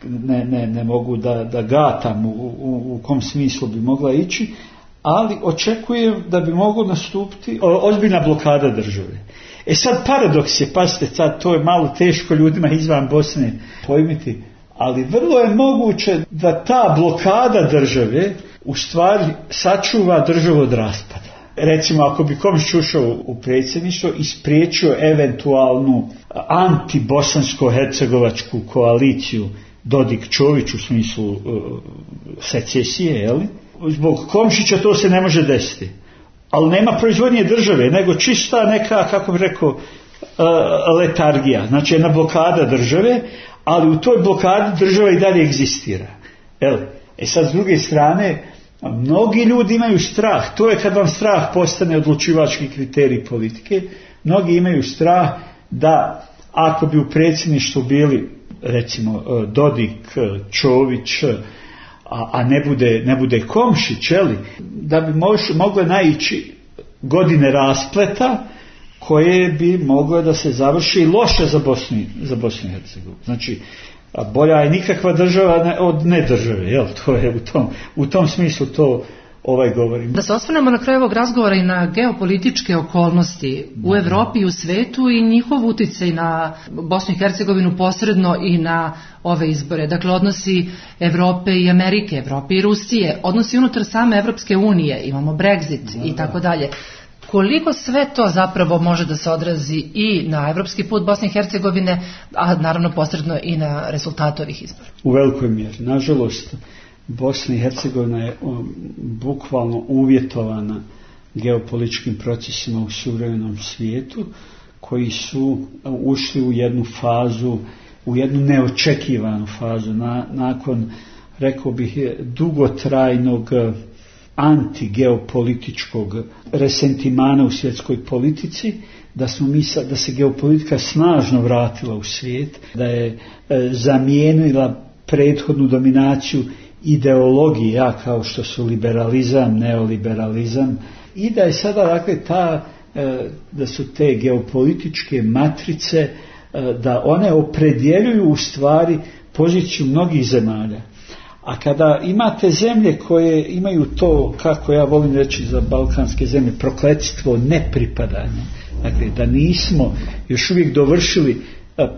ne, ne, ne mogu da, da gatam u, u, u kom smislu bi mogla ići, ali očekujem da bi moglo nastupiti ozbiljna blokada države. E sad paradoks je, pazite, sad to je malo teško ljudima izvan Bosne pojmiti, ali vrlo je moguće da ta blokada države u stvari sačuva državu od raspada. Recimo, ako bi Komšić ušao u predsjedništvo i spriječio eventualnu antibosansko-hercegovačku koaliciju Dodik-Čović u smislu uh, secesije, jeli? Zbog Komšića to se ne može desiti. Ali nema proizvodnje države, nego čista neka, kako bih rekao, uh, letargija. Znači jedna blokada države, ali u toj blokadi država i dalje egzistira. Jeli? E sad, s druge strane, mnogi ljudi imaju strah, to je kad vam strah postane odlučivački kriterij politike, mnogi imaju strah da ako bi u predsjedništvu bili recimo Dodik, Čović, a, a ne bude, ne bude Komšić, jeli, da bi mož, mogle naići godine raspleta koje bi moglo da se završi loše za Bosnu, za Bosnu i Hercegovinu. Znači, a bolja je nikakva država od ne države, jel? To je u tom, u tom smislu to ovaj govorim. Da se osvrnemo na kraju ovog razgovora i na geopolitičke okolnosti u Evropi i u svetu i njihov uticaj na Bosnu i Hercegovinu posredno i na ove izbore. Dakle, odnosi Evrope i Amerike, Evrope i Rusije, odnosi unutar same Evropske unije, imamo Brexit i tako dalje. Koliko sve to zapravo može da se odrazi i na evropski put Bosne i Hercegovine, a naravno posredno i na rezultat ovih izbora? U velikoj mjeri. Nažalost, Bosna i Hercegovina je um, bukvalno uvjetovana geopolitičkim procesima u suvremenom svijetu, koji su ušli u jednu fazu, u jednu neočekivanu fazu, na, nakon, rekao bih, dugotrajnog antigeopolitičkog resentimana u svjetskoj politici, da, smo mi, da se geopolitika snažno vratila u svijet, da je e, zamijenila prethodnu dominaciju ideologija kao što su liberalizam, neoliberalizam, i da je sada, dakle, ta, e, da su te geopolitičke matrice, e, da one opredjeljuju u stvari poziciju mnogih zemalja. A kada imate zemlje koje imaju to, kako ja volim reći za balkanske zemlje, prokletstvo nepripadanja, dakle da nismo još uvijek dovršili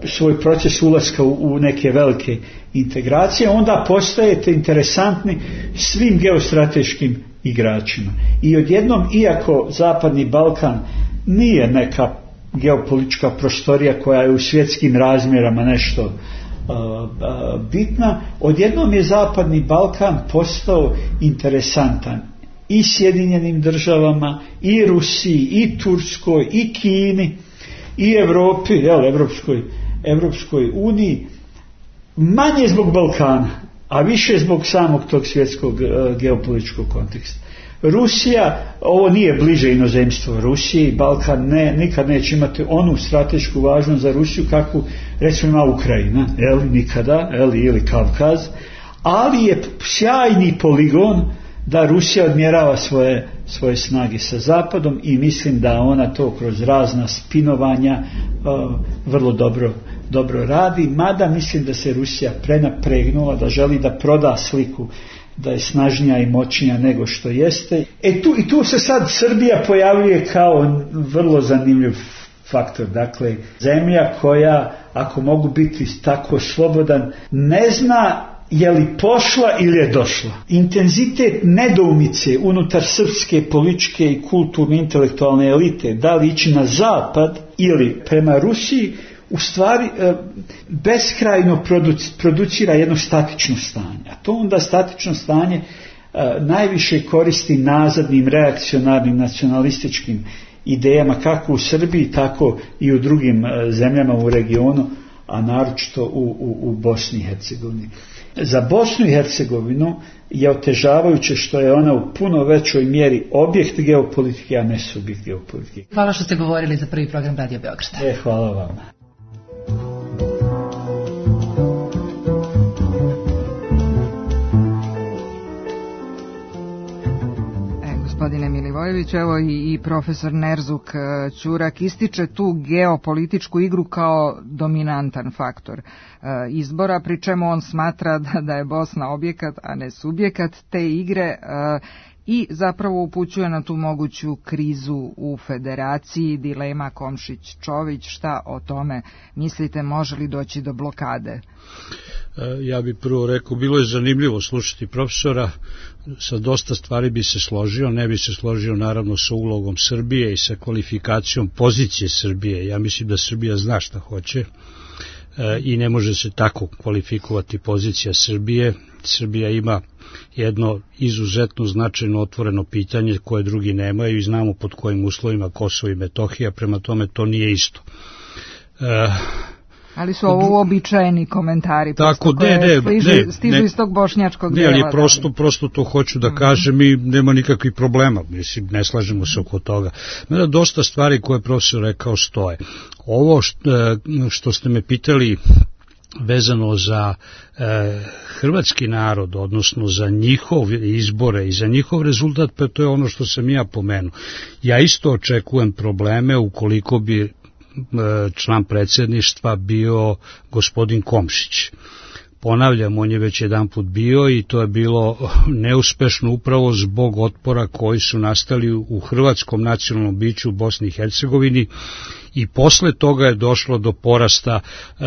svoj proces ulaska u, u neke velike integracije, onda postajete interesantni svim geostrateškim igračima. I odjednom, iako Zapadni Balkan nije neka geopolitička prostorija koja je u svjetskim razmjerama nešto bitna, odjednom je Zapadni Balkan postao interesantan i Sjedinjenim državama, i Rusiji, i Turskoj, i Kini, i Evropi, jel, Evropskoj, Evropskoj uniji, manje zbog Balkana, a više zbog samog tog svjetskog uh, geopolitičkog konteksta. Rusija, ovo nije bliže inozemstvo Rusiji, Balkan ne, nikad neće imati onu stratešku važnost za Rusiju kakvu recimo ima Ukrajina, jel, nikada, jel, ili Kavkaz, ali je sjajni poligon da Rusija odmjerava svoje, svoje snage sa Zapadom i mislim da ona to kroz razna spinovanja uh, vrlo dobro, dobro radi, mada mislim da se Rusija prenapregnula, da želi da proda sliku da je snažnija i moćnija nego što jeste. E tu, i tu se sad Srbija pojavljuje kao vrlo zanimljiv faktor. Dakle, zemlja koja, ako mogu biti tako slobodan, ne zna je li pošla ili je došla. Intenzitet nedoumice unutar srpske političke i kulturne intelektualne elite, da li ići na zapad ili prema Rusiji, u stvari beskrajno producira jedno statično stanje. A to onda statično stanje najviše koristi nazadnim, reakcionarnim, nacionalističkim idejama, kako u Srbiji, tako i u drugim zemljama u regionu, a naročito u, u, u Bosni i Hercegovini. Za Bosnu i Hercegovinu je otežavajuće što je ona u puno većoj mjeri objekt geopolitike, a ne subjekt geopolitike. Hvala što ste govorili za prvi program Radio Beograda. E, hvala vama. Gospodine Milivojević, evo i, i profesor Nerzuk Ćurak ističe tu geopolitičku igru kao dominantan faktor e, izbora, pri čemu on smatra da, da je Bosna objekat, a ne subjekat te igre e, i zapravo upućuje na tu moguću krizu u federaciji, dilema Komšić-Čović. Šta o tome mislite, može li doći do blokade? Ja bih prvo rekao, bilo je zanimljivo slušati profesora, sa dosta stvari bi se složio, ne bi se složio naravno sa ulogom Srbije i sa kvalifikacijom pozicije Srbije. Ja mislim da Srbija zna šta hoće i ne može se tako kvalifikovati pozicija Srbije. Srbija ima jedno izuzetno značajno otvoreno pitanje koje drugi nemaju i znamo pod kojim uslovima Kosovo i Metohija, prema tome to nije isto. E, Ali su ovo uobičajeni komentari, tako, ne, ne, stižu, ne, stižu ne, iz tog bošnjačkog ne, dela. ali prosto, prosto to hoću da kažem i nema nikakvih problema, mislim, ne slažemo se oko toga. Mada dosta stvari koje je profesor rekao stoje. Ovo što, što ste me pitali vezano za e, hrvatski narod, odnosno za njihove izbore i za njihov rezultat, pa to je ono što sam ja pomenuo. Ja isto očekujem probleme ukoliko bi e, član predsjedništva bio gospodin Komšić. Ponavljam, on je već jedan put bio i to je bilo neuspešno upravo zbog otpora koji su nastali u hrvatskom nacionalnom biću u Bosni i Hercegovini i posle toga je došlo do porasta uh,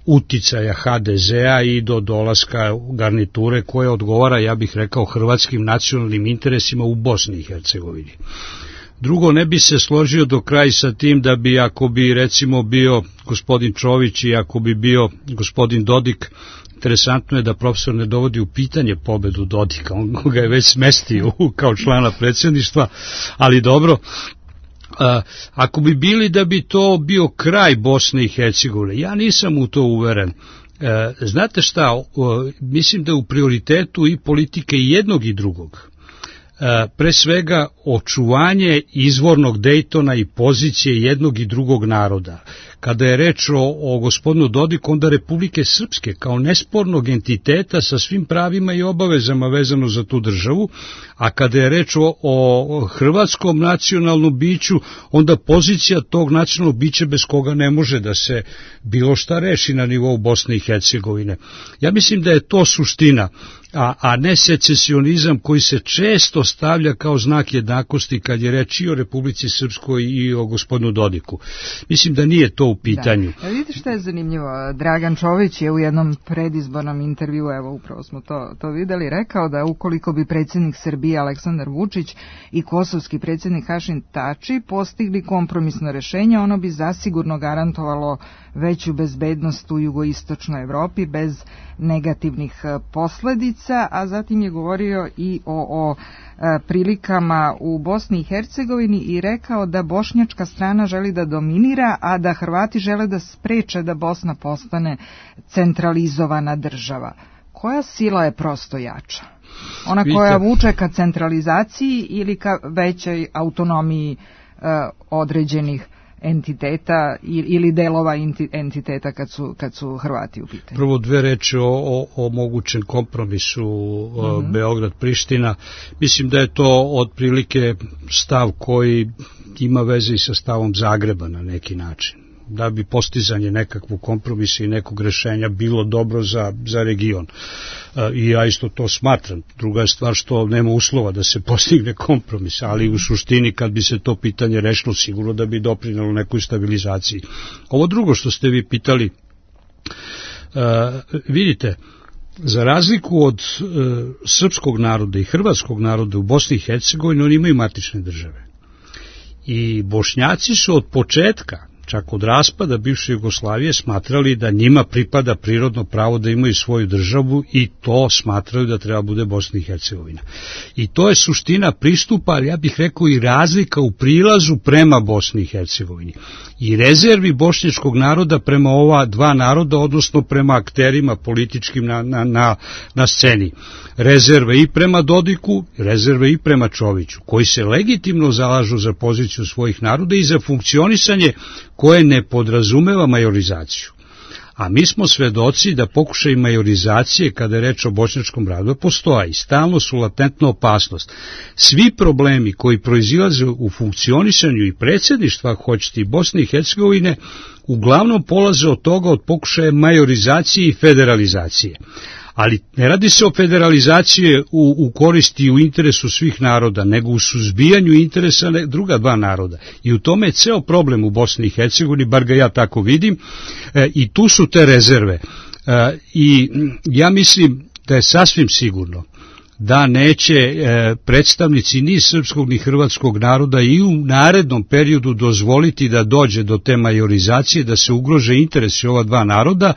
uticaja ha de zea i do dolaska garniture koje odgovara, ja bih rekao, hrvatskim nacionalnim interesima u Bosni i Hercegovini. Drugo, ne bi se složio do kraja sa tim da bi, ako bi recimo bio gospodin Čović i ako bi bio gospodin Dodik, interesantno je da profesor ne dovodi u pitanje pobedu Dodika, on ga je već smestio kao člana predsjedništva, ali dobro. Ako bi bili da bi to bio kraj Bosne i Hercegovine, ja nisam u to uveren. Znate šta, mislim da je u prioritetu i politike i jednog i drugog. Pre svega očuvanje izvornog Dejtona i pozicije jednog i drugog naroda. Kada je reč o, o gospodinu Dodiku, onda Republike Srpske kao nespornog entiteta sa svim pravima i obavezama vezano za tu državu, a kada je reč o, o hrvatskom nacionalnom biću, onda pozicija tog nacionalnog bića bez koga ne može da se bilo šta reši na nivou Bosne i Hercegovine. Ja mislim da je to suština, a, a ne secesionizam koji se često stavlja kao znak jednakosti kad je reč i o Republici Srpskoj i o gospodinu Dodiku. Mislim da nije to u pitanju. Da. Vidite što je zanimljivo, Dragan Čović je u jednom predizbornom intervju, evo upravo smo to, to videli, rekao da ukoliko bi predsjednik Srbije Aleksandar Vučić i kosovski predsjednik Hašim Tači postigli kompromisno rešenje, ono bi zasigurno garantovalo veću bezbednost u jugoistočnoj Evropi bez negativnih posledica, a zatim je govorio i o, o prilikama u Bosni i Hercegovini i rekao da bošnjačka strana želi da dominira, a da Hrvati žele da spreče da Bosna postane centralizovana država. Koja sila je prosto jača? Ona koja vuče ka centralizaciji ili ka većoj autonomiji uh, određenih entiteta ili delova entiteta kad su, kad su Hrvati u pitanju? Prvo dve reči o, o, o mogućem kompromisu mm-hmm. Beograd-Priština. Mislim da je to otprilike stav koji ima veze i sa stavom Zagreba na neki način. Da bi postizanje nekakvog kompromisa i nekog rešenja bilo dobro za, za region. I ja isto to smatram. Druga je stvar što nema uslova da se postigne kompromis, ali u suštini kad bi se to pitanje rešilo, sigurno da bi doprinelo nekoj stabilizaciji. Ovo drugo što ste vi pitali, uh, vidite, za razliku od uh, srpskog naroda i hrvatskog naroda u Bosni i Hercegovini, oni imaju matične države. I Bošnjaci su od početka, čak od raspada bivše Jugoslavije, smatrali da njima pripada prirodno pravo da imaju svoju državu i to smatraju da treba bude Bosna i Hercegovina. I to je suština pristupa, ali ja bih rekao i razlika u prilazu prema Bosni i Hercegovini. I rezervi bošnjačkog naroda prema ova dva naroda, odnosno prema akterima političkim na, na, na, na sceni. Rezerve i prema Dodiku, rezerve i prema Čoviću, koji se legitimno zalažu za poziciju svojih naroda i za funkcionisanje koje ne podrazumeva majorizaciju. A mi smo svedoci da pokušaj majorizacije, kada je reč o bošnjačkom narodu, postoji. Stalno su latentna opasnost. Svi problemi koji proizilaze u funkcionisanju i predsjedništva, hoćete i Bosne i Hercegovine, uglavnom polaze od toga, od pokušaja majorizacije i federalizacije. Ali ne radi se o federalizaciji u, u koristi i u interesu svih naroda, nego u suzbijanju interesa druga dva naroda. I u tome je ceo problem u Bosni i Hercegovini, bar ga ja tako vidim, e, i tu su te rezerve. E, I ja mislim da je sasvim sigurno da neće e, predstavnici ni srpskog ni hrvatskog naroda i u narednom periodu dozvoliti da dođe do te majorizacije, da se ugrože interesi ova dva naroda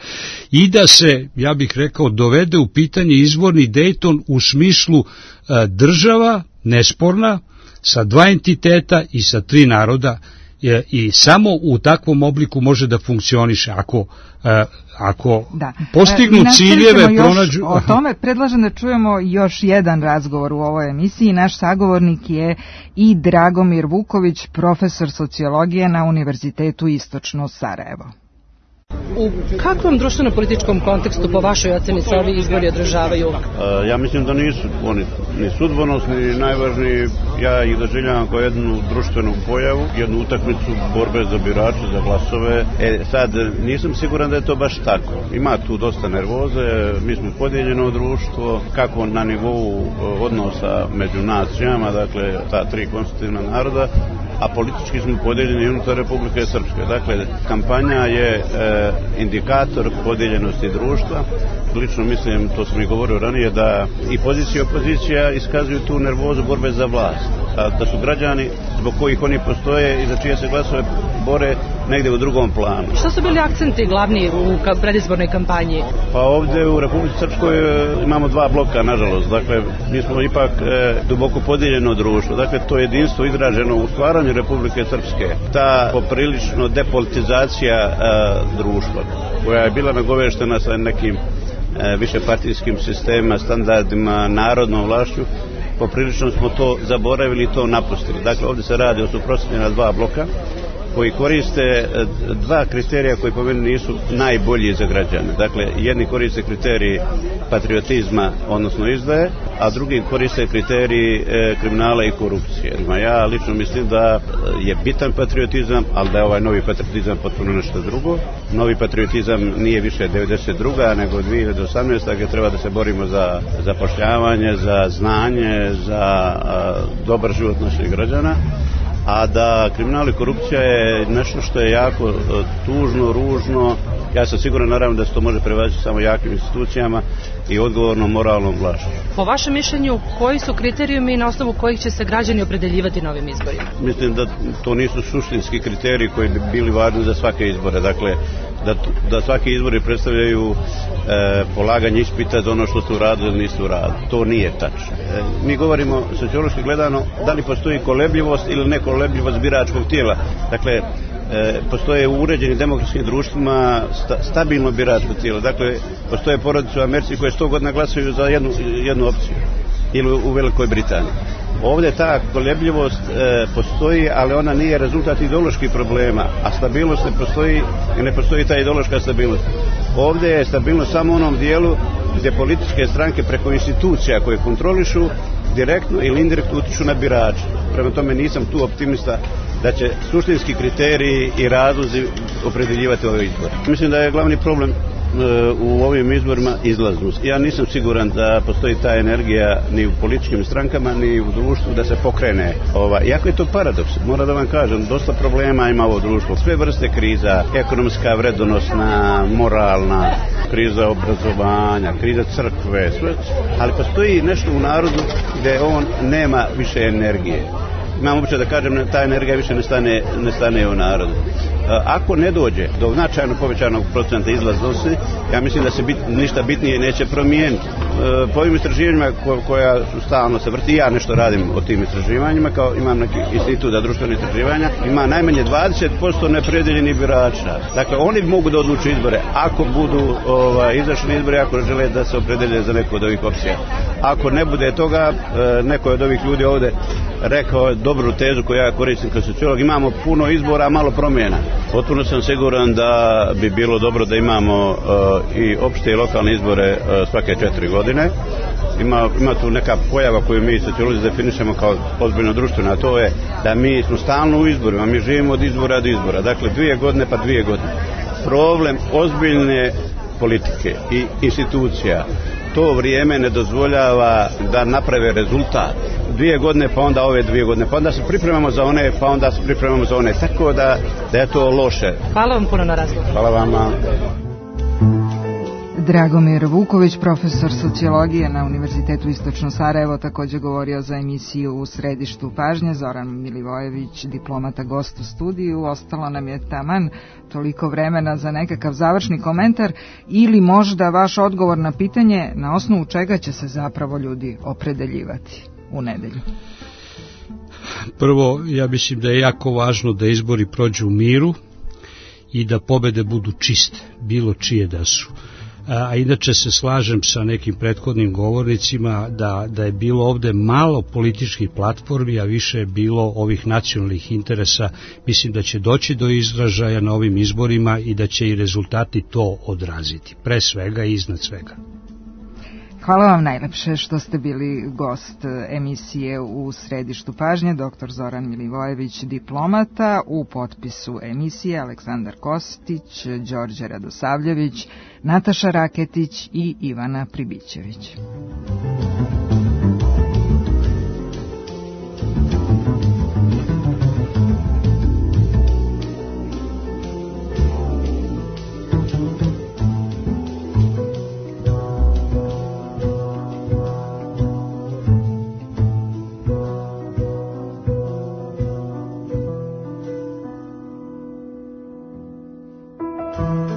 i da se, ja bih rekao, dovede u pitanje izvorni Dejton u smislu e, država nesporna sa dva entiteta i sa tri naroda, e, i samo u takvom obliku može da funkcioniše. Ako e, ako da. postignu e, ciljeve, pronađu... O tome predlažem da čujemo još jedan razgovor u ovoj emisiji. Naš sagovornik je i Dragomir Vuković, profesor sociologije na Univerzitetu Istočno Sarajevo. U kakvom društveno-političkom kontekstu po vašoj oceni se ovi izbori održavaju? E, ja mislim da nisu oni ni sudbonosni, ni najvažniji. Ja ih doživljavam kao jednu društvenu pojavu, jednu utakmicu borbe za birače, za glasove. E, sad, nisam siguran da je to baš tako. Ima tu dosta nervoze, mi smo podijeljeno društvo, kako na nivou odnosa među nacijama, dakle, ta tri konstitutivna naroda, a politički smo podijeljeni unutar Republike Srpske. Dakle, kampanja je e, indikator podijeljenosti društva. Lično mislim, to sam i govorio ranije, da i pozicija i opozicija iskazuju tu nervozu borbe za vlast. A da su građani zbog kojih oni postoje i za čije se glasove bore negdje u drugom planu. Što su bili akcenti glavni u predizbornoj kampanji? Pa ovdje u Republici Srpskoj imamo dva bloka, nažalost. Dakle, mi smo ipak e, duboko podijeljeno društvo. Dakle, to jedinstvo izraženo u stvaranju Republike Srpske. Ta poprilično depolitizacija e, društva, koja je bila nagoveštena sa nekim e, višepartijskim sistemima, standardima, narodnom vlašću, poprilično smo to zaboravili i to napustili. Dakle, ovdje se radi o suprotstavljena dva bloka koji koriste dva kriterija koji po meni nisu najbolji za građane. Dakle, jedni koriste kriteriji patriotizma, odnosno izdaje, a drugi koriste kriteriji e, kriminala i korupcije. Ja lično mislim da je bitan patriotizam, ali da je ovaj novi patriotizam potpuno nešto drugo. Novi patriotizam nije više devedeset druga nego dvije hiljade osamnaeste gdje treba da se borimo za zapošljavanje, za znanje, za a, dobar život naših građana. A da kriminal i korupcija je nešto što je jako tužno, ružno. Ja sam siguran, naravno, da se to može prevazići samo jakim institucijama i odgovornom moralnom vlašću. Po vašem mišljenju, koji su kriterijumi na osnovu kojih će se građani opredeljivati na ovim izborima? Mislim da to nisu suštinski kriteriji koji bi bili važni za svake izbore. Dakle, da, da svaki izbori predstavljaju e, polaganje ispita za ono što ste uradili ili niste uradili. To nije tačno. E, mi govorimo, sociološki gledano, da li postoji kolebljivost ili nekolebljivost biračkog tijela. Dakle, e, postoje u uređenim demokratskim društvima sta, stabilno biračko tijelo. Dakle, postoje porodice u Americi koje sto godina glasaju za jednu, jednu opciju. Ili u Velikoj Britaniji. Ovdje ta kolebljivost e, postoji, ali ona nije rezultat ideoloških problema, a stabilnost ne postoji i ne postoji ta ideološka stabilnost. Ovdje je stabilnost samo u onom dijelu gdje političke stranke preko institucija koje kontrolišu direktno ili indirektno utiču na birače. Prema tome nisam tu optimista da će suštinski kriteriji i razlozi opredeljivati ove izbore. Mislim da je glavni problem u ovim izborima izlaznost. Ja nisam siguran da postoji ta energija ni u političkim strankama, ni u društvu da se pokrene. Ova, iako je to paradoks, moram da vam kažem, dosta problema ima ovo društvo. Sve vrste kriza, ekonomska, vredonosna, moralna, kriza obrazovanja, kriza crkve, sve, ali postoji nešto u narodu gdje on nema više energije. Imam običaj da kažem, ta energija više ne stane, ne stane u narodu. Ako ne dođe do značajno povećanog procenta izlaznosti, ja mislim da se bit, ništa bitnije neće promijeniti. Po ovim istraživanjima ko, koja su stalno se vrti, ja nešto radim o tim istraživanjima, kao imam neki institut za društvene istraživanja, ima najmanje dvadeset posto nepredeljenih birača. Dakle, oni mogu da odluče izbore ako budu ovaj, izašli izbori, ako žele da se opredelje za neko od ovih opcija. Ako ne bude toga, neko od ovih ljudi ovdje rekao dobru tezu koju ja koristim kao sociolog, imamo puno izbora, a malo promjena. Potpuno sam siguran da bi bilo dobro da imamo uh, i opšte i lokalne izbore uh, svake četiri godine. Ima, ima tu neka pojava koju mi sociolozi definišemo kao ozbiljno društveno, a to je da mi smo stalno u izborima, mi živimo od izbora do izbora. Dakle, dvije godine pa dvije godine. Problem ozbiljne politike i institucija to vrijeme ne dozvoljava da naprave rezultat. Dvije godine, pa onda ove dvije godine, pa onda se pripremamo za one, pa onda se pripremamo za one. Tako da, da je to loše. Hvala vam puno na razgovor. Hvala vama. Dragomir Vuković, profesor sociologije na Univerzitetu Istočno Sarajevo, također govorio za emisiju U središtu pažnje. Zoran Milivojević, diplomata, gost u studiju. Ostalo nam je taman toliko vremena za nekakav završni komentar ili možda vaš odgovor na pitanje na osnovu čega će se zapravo ljudi opredeljivati u nedelju. Prvo, ja mislim da je jako važno da izbori prođu u miru i da pobede budu čiste, bilo čije da su. a inače se slažem sa nekim prethodnim govornicima da, da je bilo ovde malo političkih platformi, a više je bilo ovih nacionalnih interesa. Mislim da će doći do izražaja na ovim izborima i da će i rezultati to odraziti, pre svega i iznad svega. Hvala vam najlepše što ste bili gost emisije U središtu pažnje, doktor Zoran Milivojević, diplomata, u potpisu emisije Aleksandar Kostić, Đorđe Radosavljević, Nataša Raketić i Ivana Pribićević. Thank you.